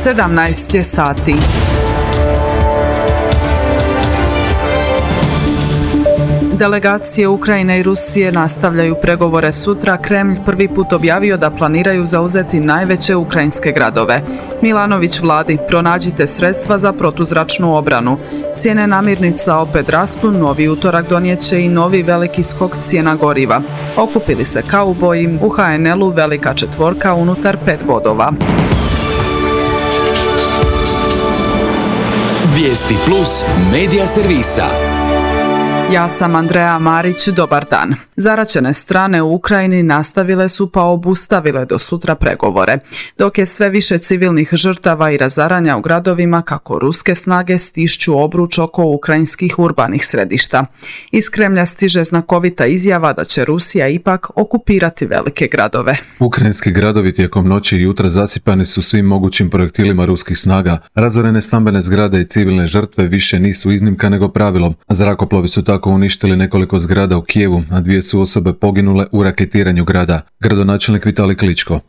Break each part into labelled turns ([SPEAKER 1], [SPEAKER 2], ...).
[SPEAKER 1] 17 je sati. Delegacije Ukrajine i Rusije nastavljaju pregovore sutra. Kremlj prvi put objavio da planiraju zauzeti najveće ukrajinske gradove. Milanović vladi: pronađite sredstva za protuzračnu obranu. Cijene namirnica opet rastu, novi utorak donijeće i novi veliki skok cijena goriva. Okupili se kauboji, u HNL-u velika četvorka unutar 5 bodova.
[SPEAKER 2] Vijesti plus medija servisa.
[SPEAKER 1] Ja sam Andreja Marić, dobar dan. Zaraćene strane u Ukrajini nastavile su pa obustavile do sutra pregovore, dok je sve više civilnih žrtava i razaranja u gradovima kako ruske snage stišću obruč oko ukrajinskih urbanih središta. Iz Kremlja stiže znakovita izjava da će Rusija ipak okupirati velike gradove.
[SPEAKER 3] Ukrajinski gradovi tijekom noći i jutra zasipani su svim mogućim projektilima ruskih snaga. Razorene stambene zgrade i civilne žrtve više nisu iznimka nego pravilom. Zrakoplovi su tako uništili nekoliko zgrada u Kijevu, a 2 su osobe poginule u raketiranju grada. Gradonačelnik Vitalij Kličko.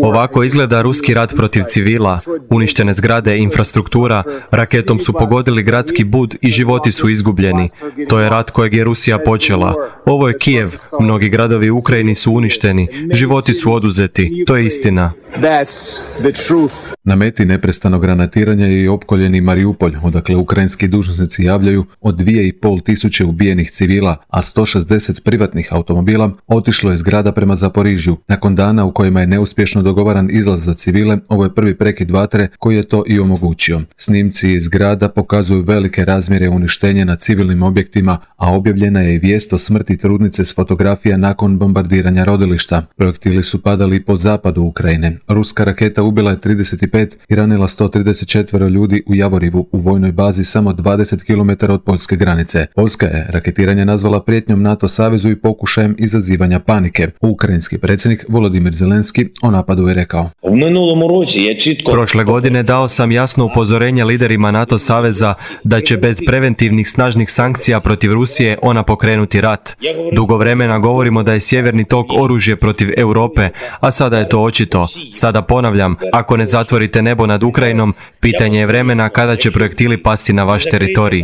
[SPEAKER 4] Ovako izgleda ruski rat protiv civila. Uništene zgrade i infrastruktura, raketom su pogodili gradski bud i životi su izgubljeni. To je rat kojeg je Rusija počela. Ovo je Kijev. Mnogi gradovi u Ukrajini su uništeni. Životi su oduzeti. To je istina.
[SPEAKER 3] Na meti neprestano granatiranja je i opkoljeni Mariupolj, odakle ukrajinski dužnosnici javljaju od 2.500 ubijenih civila, a 160 privatnih automobila otišlo je iz grada prema Zaporižju. Nakon dana u kojima je neuspješno dogovaran izlaz za civile, ovo je prvi prekid vatre koji je to i omogućio. Snimci iz grada pokazuju velike razmjere uništenja na civilnim objektima, a objavljena je i vijest o smrti trudnice s fotografija nakon bombardiranja rodilišta. Projektili su padali po zapadu Ukrajine. Ruska raketa ubila je 35 i ranila 134 ljudi u Javorivu, u vojnoj bazi samo 20 km od poljske granice. Poljska je raketiranje nazvala prijetnjom NATO savezu i pokušajem izazivanja panike. Ukrajinski predsjednik Volodimir Zelenski o napadu je rekao:
[SPEAKER 4] Prošle godine dao sam jasno upozorenje liderima NATO saveza da će bez preventivnih snažnih sankcija protiv Rusije ona pokrenuti rat. Dugo vremena govorimo da je sjeverni tok oružje protiv Europe, a sada je to očito. Sada ponavljam, ako ne zatvorite nebo nad Ukrajinom, pitanje je vremena kada će projektili pasti na vaš teritorij.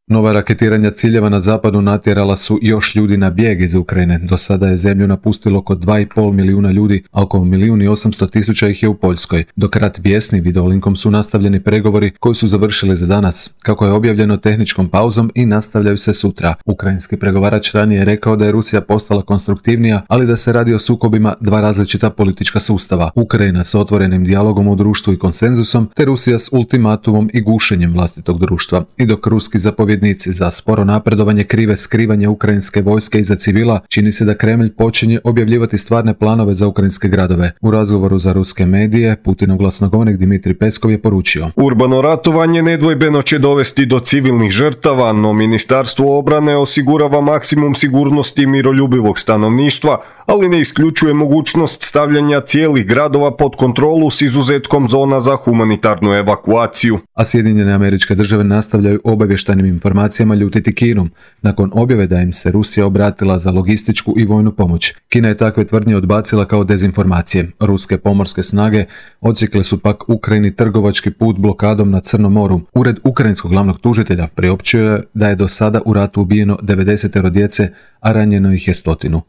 [SPEAKER 3] Nova raketiranja ciljeva na zapadu natjerala su još ljudi na bijeg iz Ukrajine. Do sada je zemlju napustilo oko 2,5 milijuna ljudi, a oko 1.800.000 ih je u Poljskoj. Dok rat bijesni, videolinkom su nastavljeni pregovori koji su završili za danas, kako je objavljeno tehničkom pauzom, i nastavljaju se sutra. Ukrajinski pregovarač ranije je rekao da je Rusija postala konstruktivnija, ali da se radi o sukobima dva različita politička sustava. Ukrajina s otvorenim dijalogom u društvu i konsenzusom, te Rusija s ultimatumom i gušenjem vlastitog društva. I dok ruski zapovjednici za sporo napredovanje krive skrivanje ukrajinske vojske iza civila, čini se da Kremlj počinje objavljivati stvarne planove za ukrajinske gradove. U razgovoru za ruske medije, Putinov glasnogovornik Dmitrij Peskov je poručio:
[SPEAKER 5] urbano ratovanje nedvojbeno će dovesti do civilnih žrtava, no Ministarstvo obrane osigurava maksimum sigurnosti i miroljubivog stanovništva, ali ne isključuje mogućnost stavljanja cijelih gradova pod kontrolu s izuzetkom zona za humanitarnu evakuaciju.
[SPEAKER 3] A Sjedinjene Američke Države nastavljaju obavještajnim informacijama ljutiti Kinu, nakon objave da im se Rusija obratila za logističku i vojnu pomoć. Kina je takve tvrdnje odbacila kao dezinformacije. Ruske pomorske snage odsjekle su pak Ukrajini trgovački put blokadom na Crnom moru. Ured ukrajinskog glavnog tužitelja priopćio je da je do sada u ratu ubijeno 90 djece, a ranjeno ih je 100.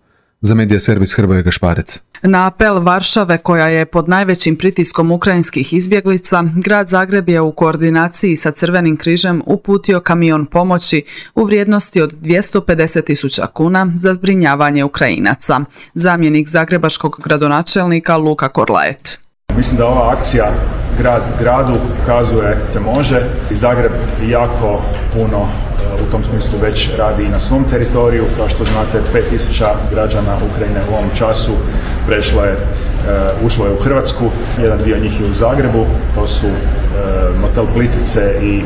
[SPEAKER 3] Za medija servis Hrvoje Gašparec.
[SPEAKER 1] Na apel Varšave, koja je pod najvećim pritiskom ukrajinskih izbjeglica, grad Zagreb je u koordinaciji sa Crvenim križem uputio kamion pomoći u vrijednosti od 250.000 kuna za zbrinjavanje Ukrajinaca. Zamjenik zagrebačkog gradonačelnika Luka Korlaet.
[SPEAKER 6] Mislim da ova akcija grad gradu ukazuje se može i Zagreb jako puno u tom smislu već radi i na svom teritoriju. Kao što znate, 5.000 građana Ukrajine u ovom času ušlo je u Hrvatsku, jedan dio njih je u Zagrebu, to su motel Plitvice i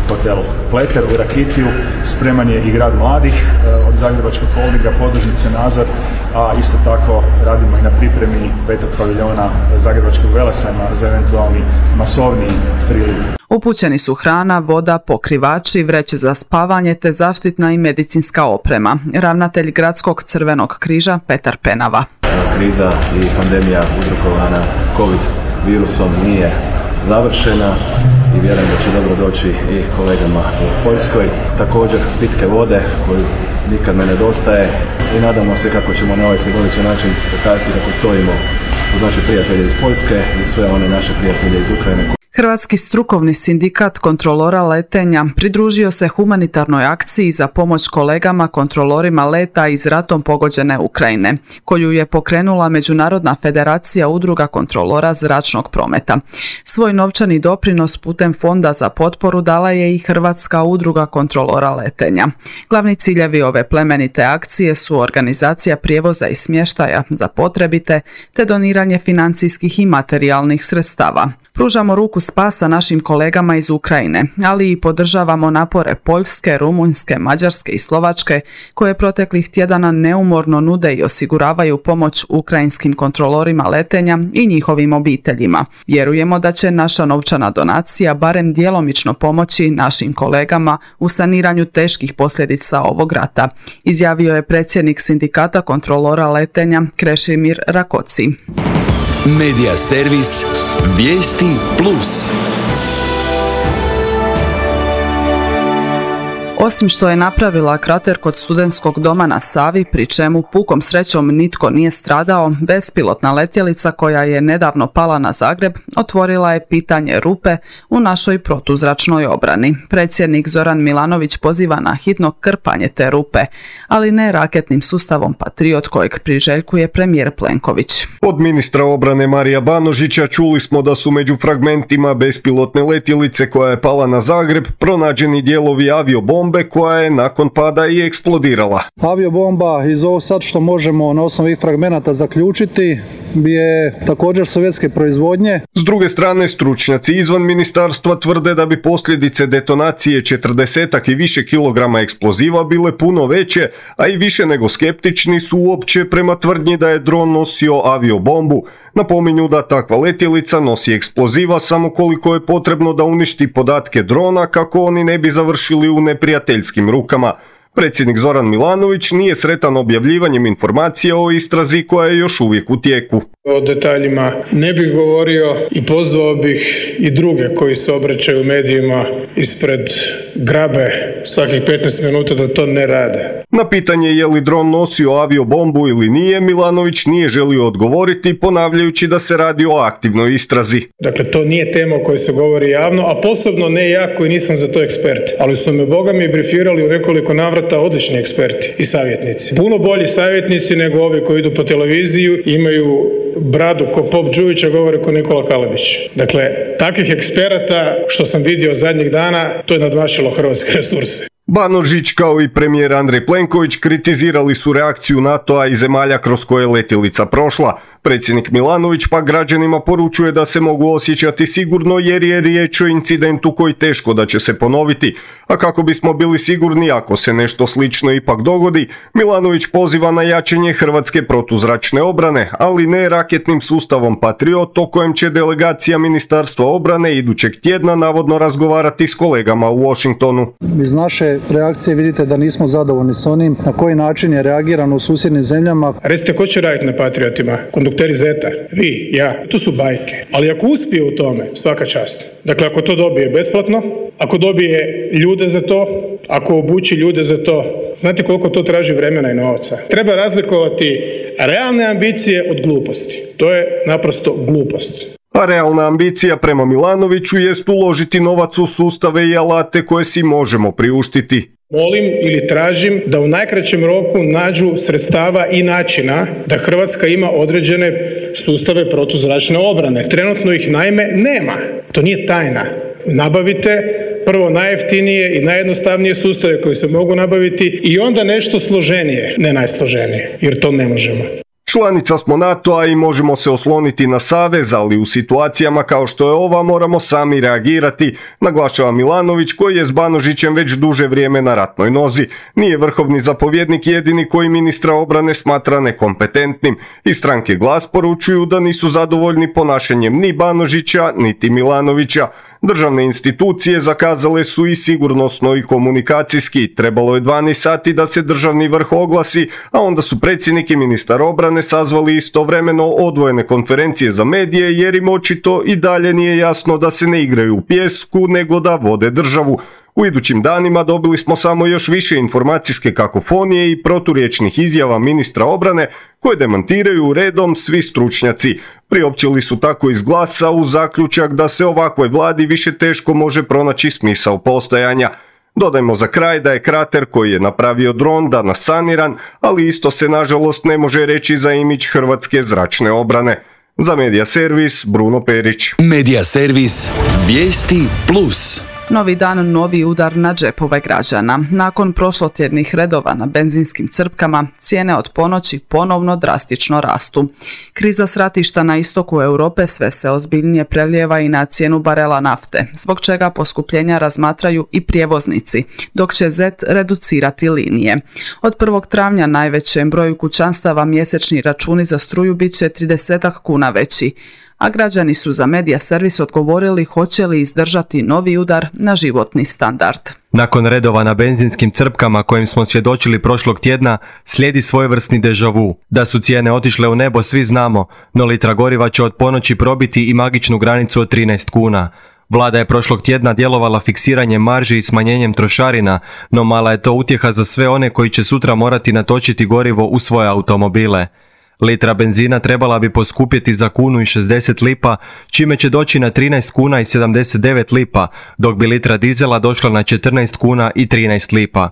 [SPEAKER 6] hotel Pleter u Rakitiju. Spreman je i grad mladih od Zagrebačkog holdinga, podružnice Nazor, a isto tako radimo i na pripremi 5. paviljona Zagrebačkog Velesajma za eventualni masovniji priliv.
[SPEAKER 1] Upućeni su hrana, voda, pokrivači, vreće za spavanje te zaštitna i medicinska oprema. Ravnatelj Gradskog Crvenog križa Petar Penava.
[SPEAKER 7] kriza i pandemija uzrokovana COVID virusom nije završena i vjerujem da će dobro doći i kolegama u Poljskoj. Također pitke vode koju nikad ne nedostaje i nadamo se kako ćemo na ovaj simboličan način pokazati kako stojimo uz naše prijatelje iz Poljske i sve one naše prijatelje iz Ukrajine.
[SPEAKER 1] Hrvatski strukovni sindikat kontrolora letenja pridružio se humanitarnoj akciji za pomoć kolegama kontrolorima leta iz ratom pogođene Ukrajine, koju je pokrenula Međunarodna federacija udruga kontrolora zračnog prometa. Svoj novčani doprinos putem Fonda za potporu dala je i Hrvatska udruga kontrolora letenja. Glavni ciljevi ove plemenite akcije su organizacija prijevoza i smještaja za potrebite te doniranje financijskih i materijalnih sredstava. Pružamo ruku spasa našim kolegama iz Ukrajine, ali i podržavamo napore Poljske, Rumunjske, Mađarske i Slovačke, koje proteklih tjedana neumorno nude i osiguravaju pomoć ukrajinskim kontrolorima letenja i njihovim obiteljima. Vjerujemo da će naša novčana donacija barem djelomično pomoći našim kolegama u saniranju teških posljedica ovog rata, izjavio je predsjednik sindikata kontrolora letenja Krešimir Rakoci.
[SPEAKER 2] Medija servis Vijesti Plus.
[SPEAKER 1] Osim što je napravila krater kod studentskog doma na Savi, pri čemu pukom srećom nitko nije stradao, bespilotna letjelica koja je nedavno pala na Zagreb otvorila je pitanje rupe u našoj protuzračnoj obrani. Predsjednik Zoran Milanović poziva na hitno krpanje te rupe, ali ne raketnim sustavom Patriot kojeg priželjkuje premijer Plenković.
[SPEAKER 5] Od ministra obrane Marija Banožića čuli smo da su među fragmentima bespilotne letjelice koja je pala na Zagreb pronađeni dijelovi aviobombe koja je nakon pada i eksplodirala.
[SPEAKER 8] Aviobomba iz ovo sad što možemo na osnovi fragmenata zaključiti je također sovjetske proizvodnje.
[SPEAKER 5] S druge strane, stručnjaci izvan ministarstva tvrde da bi posljedice detonacije 40 i više kilograma eksploziva bile puno veće, a i više nego skeptični su uopće prema tvrdnji da je dron nosio aviobombu. Napominju da takva letjelica nosi eksploziva samo koliko je potrebno da uništi podatke drona kako oni ne bi završili u neprijateljskim rukama. Predsjednik Zoran Milanović nije sretan objavljivanjem informacija o istrazi koja je još uvijek u tijeku.
[SPEAKER 9] O detaljima ne bih govorio i pozvao bih i druge koji se obraćaju medijima ispred grabe svakih 15 minuta da to ne rade.
[SPEAKER 5] Na pitanje je li dron nosio aviobombu ili nije, Milanović nije želio odgovoriti, ponavljajući da se radi o aktivnoj istrazi.
[SPEAKER 9] Dakle, to nije tema o kojoj se govori javno, a posebno ne ja koji nisam za to ekspert. Ali su me Boga mi brifirali u nekoliko navrata odlični eksperti i savjetnici. Puno bolji savjetnici nego ovi koji idu po televiziju, imaju bradu ko Pop Đujića, govore ko Nikola Kalebić. Dakle, takvih eksperata što sam vidio zadnjih dana, to je nadmašilo hrvatske resurse.
[SPEAKER 5] Banožić kao i premijer Andrej Plenković kritizirali su reakciju NATO-a i zemalja kroz koje je letjelica prošla. Predsjednik Milanović pa građanima poručuje da se mogu osjećati sigurno jer je riječ o incidentu koji teško da će se ponoviti. A kako bismo bili sigurni ako se nešto slično ipak dogodi, Milanović poziva na jačanje hrvatske protuzračne obrane, ali ne raketnim sustavom Patriot o kojem će delegacija Ministarstva obrane idućeg tjedna navodno razgovarati s kolegama u Washingtonu.
[SPEAKER 8] Iz naše reakcije vidite da nismo zadovoljni s onim na koji način je reagirano u susjednim zemljama.
[SPEAKER 9] Recite, ko će raditi na Patriotima? Kondukteri Zeta? Vi? Ja? To su bajke. Ali ako uspije u tome, svaka čast. Dakle, ako to dobije besplatno, ako dobije ljude za to, ako obuči ljude za to, znate koliko to traži vremena i novaca? Treba razlikovati realne ambicije od gluposti. To je naprosto glupost.
[SPEAKER 5] A realna ambicija prema Milanoviću jest uložiti novac u sustave i alate koje si možemo priuštiti.
[SPEAKER 9] Molim ili tražim da u najkraćem roku nađu sredstava i načina da Hrvatska ima određene sustave protuzračne obrane. Trenutno ih naime nema. To nije tajna. Nabavite prvo najjeftinije i najjednostavnije sustave koji se mogu nabaviti i onda nešto složenije, ne najsloženije, jer to ne možemo.
[SPEAKER 5] Članica smo NATO-a i možemo se osloniti na savez, ali u situacijama kao što je ova moramo sami reagirati, naglašava Milanović koji je s Banožićem već duže vrijeme na ratnoj nozi. Nije vrhovni zapovjednik jedini koji ministra obrane smatra nekompetentnim. Iz stranke Glas poručuju da nisu zadovoljni ponašanjem ni Banožića, niti Milanovića. Državne institucije zakazale su i sigurnosno i komunikacijski. Trebalo je 12 sati da se državni vrh oglasi, a onda su predsjednik i ministar obrane sazvali istovremeno odvojene konferencije za medije jer im očito i dalje nije jasno da se ne igraju u pjesku nego da vode državu. U idućim danima dobili smo samo još više informacijske kakofonije i proturječnih izjava ministra obrane koje demantiraju redom svi stručnjaci. Priopćili su tako iz Glasa u zaključak da se ovakvoj vladi više teško može pronaći smisao postojanja. Dodajmo za kraj da je krater koji je napravio dron danas saniran, ali isto se nažalost ne može reći za imidž hrvatske zračne obrane. Za Medija Servis, Bruno Perić.
[SPEAKER 2] Medija Servis, vijesti plus.
[SPEAKER 1] Novi dan, novi udar na džepove građana. Nakon prošlotjednih redova na benzinskim crpkama, cijene od ponoći ponovno drastično rastu. Kriza s ratišta na istoku Europe sve se ozbiljnije prelijeva i na cijenu barela nafte, zbog čega poskupljenja razmatraju i prijevoznici, dok će ZET reducirati linije. Od 1. travnja najvećem broju kućanstava mjesečni računi za struju bit će 30 kuna veći, a građani su za Medija Servis odgovorili hoće li izdržati novi udar na životni standard.
[SPEAKER 4] Nakon redova na benzinskim crpkama kojim smo svjedočili prošlog tjedna, slijedi svojevrsni deja vu. Da su cijene otišle u nebo svi znamo, no litra goriva će od ponoći probiti i magičnu granicu od 13 kuna. Vlada je prošlog tjedna djelovala fiksiranjem marži i smanjenjem trošarina, no mala je to utjeha za sve one koji će sutra morati natočiti gorivo u svoje automobile. Litra benzina trebala bi poskupjeti za 1,60 lipa, čime će doći na 13 kuna i 79 lipa, dok bi litra dizela došla na 14 kuna i 13 lipa.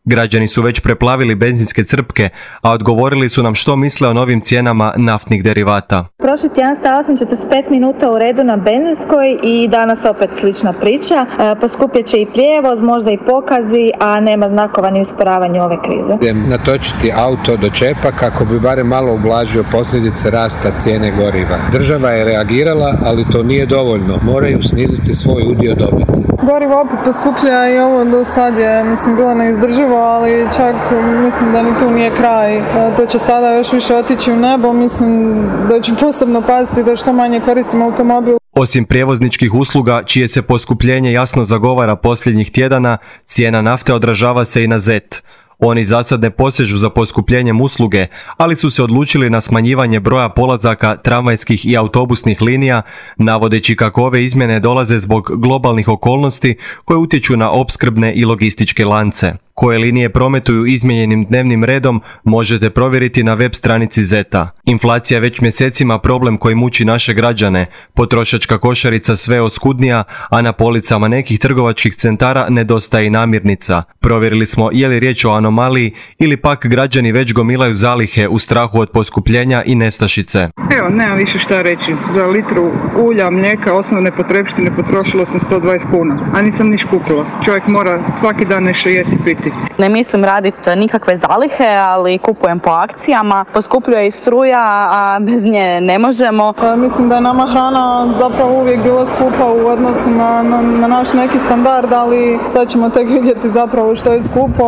[SPEAKER 4] Građani su već preplavili benzinske crpke, a odgovorili su nam što misle o novim cijenama naftnih derivata.
[SPEAKER 10] Prošli tjedan stala sam 45 minuta u redu na benzinskoj i danas opet slična priča. Poskupjet će i prijevoz, možda i pokazi, a nema znakova ni usporavanja ove krize.
[SPEAKER 11] Idem natočiti auto do čepa kako bi barem malo ublažio posljedice rasta cijene goriva. Država je reagirala, ali to nije dovoljno. Moraju sniziti svoj udio dobiti.
[SPEAKER 12] Gorivo opet poskuplja i ovo do sad je, bilo neizdrživo, ali čak mislim da ni tu nije kraj. To će sada još više otići u nebo, mislim da ću posebno paziti da što manje koristim automobil.
[SPEAKER 4] Osim prijevozničkih usluga, čije se poskupljenje jasno zagovara posljednjih tjedana, cijena nafte odražava se i na ZET. Oni za sad ne posežu za poskupljenjem usluge, ali su se odlučili na smanjivanje broja polazaka tramvajskih i autobusnih linija, navodeći kako ove izmjene dolaze zbog globalnih okolnosti koje utječu na opskrbne i logističke lance. Koje linije prometuju izmijenjenim dnevnim redom možete provjeriti na web stranici ZET-a. Inflacija je već mjesecima problem koji muči naše građane. Potrošačka košarica sve oskudnija, a na policama nekih trgovačkih centara nedostaje i namirnica. Provjerili smo je li riječ o anomaliji ili pak građani već gomilaju zalihe u strahu od poskupljenja i nestašice.
[SPEAKER 13] Evo, nemam više šta reći. Za litru ulja, mlijeka, osnovne potrepštine potrošilo sam 120 kuna, a nisam niš kupila. Čovjek mora svaki dan nešto jesti i piti.
[SPEAKER 10] Ne mislim raditi nikakve zalihe, ali kupujem po akcijama. Poskupljuje i struja, a bez nje ne možemo.
[SPEAKER 12] Mislim da je nama hrana zapravo uvijek bila skupa u odnosu na naš neki standard, ali sad ćemo tek vidjeti zapravo što je skupo.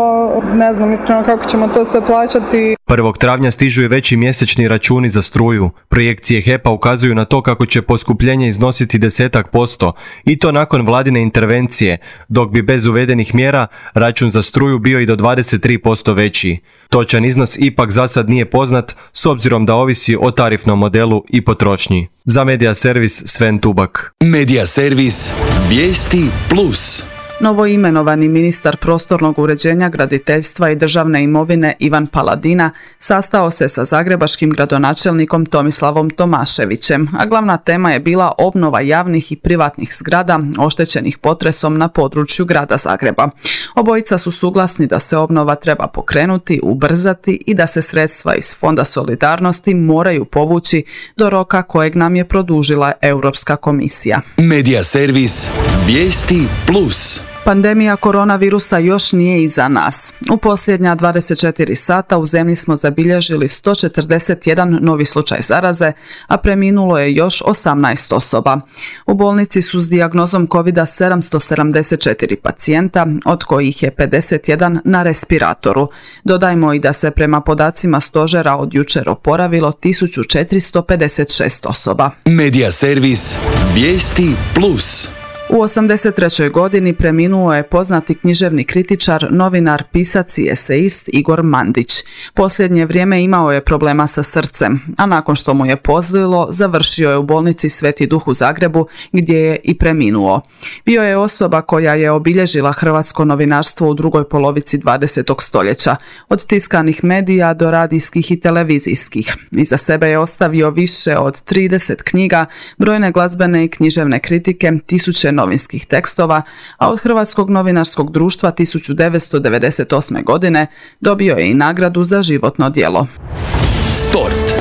[SPEAKER 12] Ne znam iskreno kako ćemo to sve plaćati.
[SPEAKER 4] 1. travnja stižu i veći mjesečni računi za struju. Projekcije HEP-a ukazuju na to kako će poskupljenje iznositi 10% i to nakon vladine intervencije, dok bi bez uvedenih mjera račun za struju bio i do 23% veći. Točan iznos ipak za sad nije poznat s obzirom da ovisi o tarifnom modelu i potrošnji. Za Medija Servis Sven Tubak.
[SPEAKER 2] Medija Servis, vijesti plus.
[SPEAKER 1] Novoimenovani ministar prostornog uređenja, graditeljstva i državne imovine Ivan Paladina sastao se sa zagrebačkim gradonačelnikom Tomislavom Tomaševićem, a glavna tema je bila obnova javnih i privatnih zgrada oštećenih potresom na području grada Zagreba. Obojica su suglasni da se obnova treba pokrenuti, ubrzati i da se sredstva iz Fonda solidarnosti moraju povući do roka kojeg nam je produžila Europska komisija.
[SPEAKER 2] Medija Servis, vijesti plus.
[SPEAKER 1] Pandemija koronavirusa još nije iza nas. U posljednja 24 sata u zemlji smo zabilježili 141 novi slučaj zaraze, a preminulo je još 18 osoba. U bolnici su s dijagnozom COVID-a 774 pacijenta, od kojih je 51 na respiratoru. Dodajmo i da se prema podacima stožera od jučer oporavilo 1456 osoba.
[SPEAKER 2] Medija Servis, vijesti plus.
[SPEAKER 1] U 83. godini preminuo je poznati književni kritičar, novinar, pisac i eseist Igor Mandić. Posljednje vrijeme imao je problema sa srcem, a nakon što mu je pozlilo, završio je u bolnici Sveti Duh u Zagrebu, gdje je i preminuo. Bio je osoba koja je obilježila hrvatsko novinarstvo u drugoj polovici 20. stoljeća, od tiskanih medija do radijskih i televizijskih. Iza sebe je ostavio više od 30 knjiga, brojne glazbene i književne kritike, tisuće novinskih tekstova, a od Hrvatskog novinarskog društva 1998. godine dobio je i nagradu za životno djelo.
[SPEAKER 2] Sport.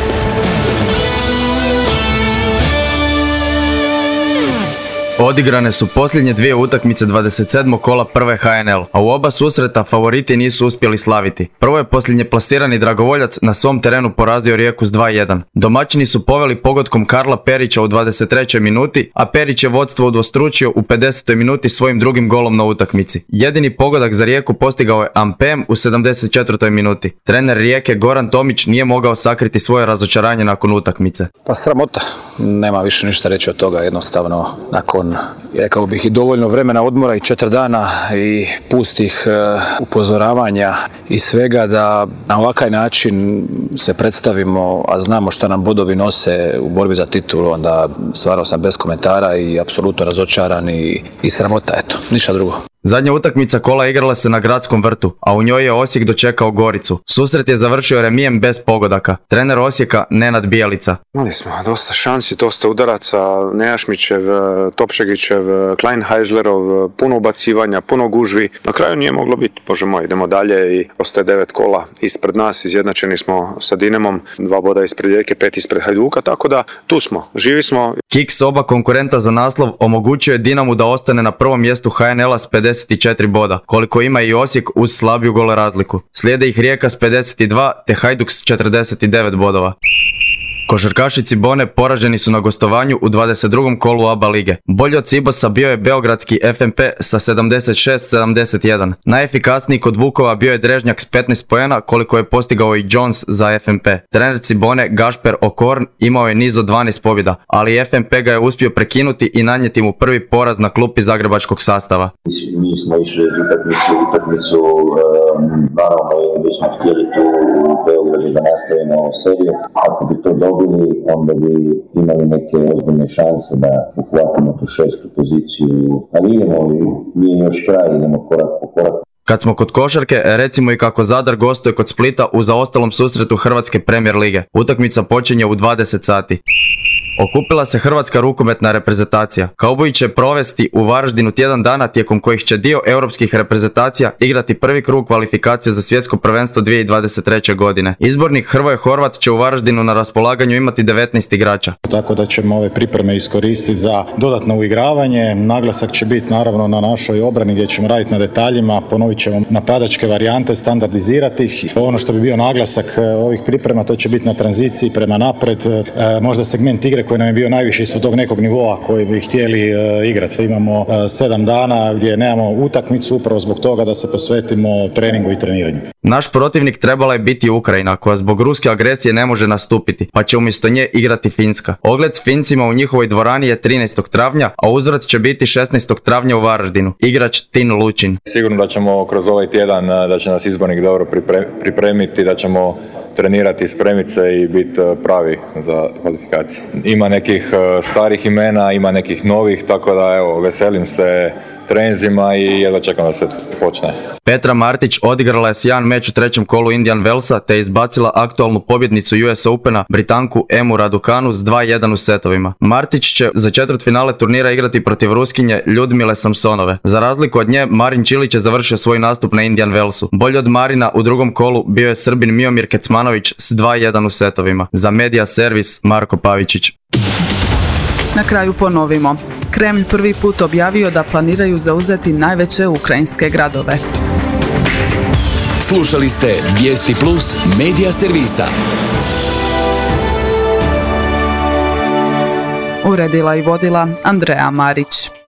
[SPEAKER 4] Odigrane su posljednje dvije utakmice 27. kola prve HNL, a u oba susreta favoriti nisu uspjeli slaviti. Prvo je posljednje plasirani Dragovoljac na svom terenu porazio Rijeku s 2-1. Domaćini su poveli pogodkom Karla Perića u 23. minuti, a Perić je vodstvo udvostručio u 50. minuti svojim drugim golom na utakmici. Jedini pogodak za Rijeku postigao je Ampem u 74. minuti. Trener Rijeke Goran Tomić nije mogao sakriti svoje razočaranje nakon utakmice.
[SPEAKER 14] Pa sramota, nema više ništa reći od toga, jednostavno nakon, rekao bih, i dovoljno vremena odmora i 4 dana i pustih upozoravanja i svega, da na ovakav način se predstavimo, a znamo što nam bodovi nose u borbi za titulu, onda stvarno sam bez komentara i apsolutno razočaran i sramota, eto, ništa drugo.
[SPEAKER 4] Zadnja utakmica kola igrala se na Gradskom vrtu, a u njoj je Osijek dočekao Goricu. Susret je završio remijem bez pogodaka. Trener Osijeka Nenad Bijelica.
[SPEAKER 15] Imali smo dosta šansi, dosta udaraca, Nejašmićev, Topšegićev, Kleinheislerov, puno ubacivanja, puno gužvi. Na kraju nije moglo biti, bože moj, idemo dalje i ostaje 9 kola ispred nas, izjednačeni smo sa Dinamom, 2 boda ispred Rijeke, 5 ispred Hajduka, tako da tu smo, živi smo.
[SPEAKER 4] Kiks oba konkurenta za naslov omogućio je Dinamu da ostane na prvom mjestu HNL-a s 54 boda, koliko ima i Osijek uz slabiju gole razliku. Slijede ih Rijeka s 52 te Hajduk s 49 bodova. Košarkaši Cibone poraženi su na gostovanju u 22. kolu ABA lige. Bolji od Cibosa bio je beogradski FNP sa 76-71. Najefikasniji kod Vukova bio je Drežnjak s 15 poena, koliko je postigao i Jones za FNP. Trener Cibone Gašper Okorn imao je niz od 12 pobjeda, ali FNP ga je uspio prekinuti i nanijeti mu prvi poraz na klupi zagrebačkog sastava.
[SPEAKER 16] Mi smo išli iz utakmicu, naravno mi smo htjeli tu u Beogradu da nastavimo seriju. Ako bi to dobili, onda bi imali neke ozbiljne šanse da uhvatimo tu 6. poziciju. Ali nije još kraj, idemo korak po korak.
[SPEAKER 4] Kad smo kod košarke, recimo i kako Zadar gostuje kod Splita u zaostalom susretu Hrvatske Premier lige. Utakmica počinje u 20 sati. Okupila se hrvatska rukometna reprezentacija. Kauboji će provesti u Varaždinu tjedan dana, tijekom kojih će dio europskih reprezentacija igrati prvi krug kvalifikacije za svjetsko prvenstvo 2023. godine. Izbornik Hrvoje Horvat će u Varaždinu na raspolaganju imati 19 igrača.
[SPEAKER 17] Tako da ćemo ove pripreme iskoristiti za dodatno uigravanje. Naglasak će biti naravno na našoj obrani gdje ćemo raditi na detaljima, ponovit ćemo napadačke varijante, standardizirati ih. Ono što bi bio naglasak ovih priprema, to će biti na tranziciji prema napred, možda segment igre koji nam je bio najviše ispod tog nekog nivoa koji bi htjeli igrati. Imamo 7 dana gdje nemamo utakmicu upravo zbog toga da se posvetimo treningu i treniranju.
[SPEAKER 4] Naš protivnik trebala je biti Ukrajina, koja zbog ruske agresije ne može nastupiti, pa će umjesto nje igrati Finska. Ogled s Fincima u njihovoj dvorani je 13. travnja, a uzvrat će biti 16. travnja u Varaždinu. Igrač Tin Lučin.
[SPEAKER 18] Sigurno da ćemo kroz ovaj tjedan, da će nas izbornik dobro pripremiti, da ćemo trenirati, spremiti se i biti pravi za kvalifikaciju. Ima nekih starih imena, ima nekih novih, tako da evo, veselim se trenzima i jedva čekam da se počne.
[SPEAKER 4] Petra Martić odigrala je sjajan meč u 3. kolu Indian Wellsa te izbacila aktualnu pobjednicu US Opena, Britanku Emu Raducanu s 2-1 u setovima. Martić će za četvrtfinale turnira igrati protiv Ruskinje Ljudmile Samsonove. Za razliku od nje, Marin Čilić je završio svoj nastup na Indian Wellsu. Bolji od Marina u 2. kolu bio je Srbin Miomir Kecmanović s 2-1 u setovima. Za Media Servis Marko Pavičić.
[SPEAKER 1] Na kraju ponovimo. Kremlj prvi put objavio da planiraju zauzeti najveće ukrajinske gradove.
[SPEAKER 2] Slušali ste Vijesti Plus Media Servisa.
[SPEAKER 1] Uredila i vodila Andreja Marić.